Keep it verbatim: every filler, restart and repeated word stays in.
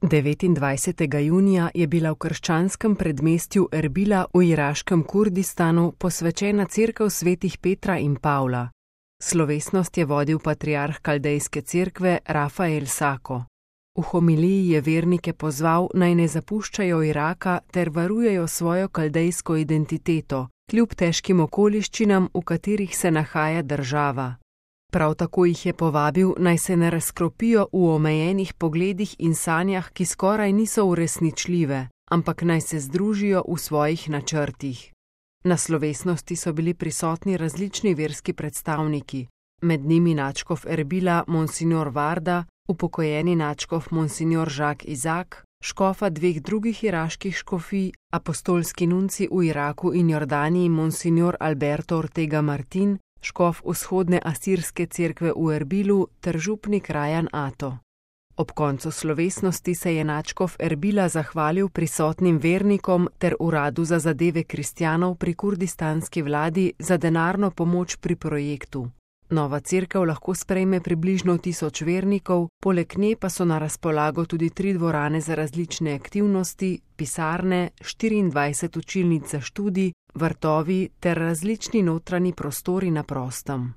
devetindvajsetega junija je bila v krščanskem predmestju Erbila v iraškem Kurdistanu posvečena cerkev svetih Petra in Pavla. Slovesnost je vodil patriarh Kaldejske cerkve Rafael Sako. V homiliji je vernike pozval, naj ne zapuščajo Iraka ter varujejo svojo kaldejsko identiteto, kljub težkim okoliščinam, v katerih se nahaja država. Prav tako jih je povabil, naj se ne razkropijo v omejenih pogledih in sanjah, ki skoraj niso uresničljive, ampak naj se združijo v svojih načrtih. Na slovesnosti so bili prisotni različni verski predstavniki, med njimi nadškof Erbila Monsignor Varda, upokojeni nadškof Monsignor Jacques Isaac, škofa dveh drugih iraških škofij, apostolski nunci v Iraku in Jordaniji Monsignor Alberto Ortega Martin, škof vzhodne asirske cerkve v Erbilu ter župnik Rajan Ato. Ob koncu slovesnosti se je nadškof Erbila zahvalil prisotnim vernikom ter uradu za zadeve kristjanov pri kurdistanski vladi za denarno pomoč pri projektu. Nova cerkev lahko sprejme približno tisoč vernikov, poleg nje pa so na razpolago tudi tri dvorane za različne aktivnosti, pisarne, štiriindvajset učilnic za študij, vrtovi ter različni notranji prostori na prostem.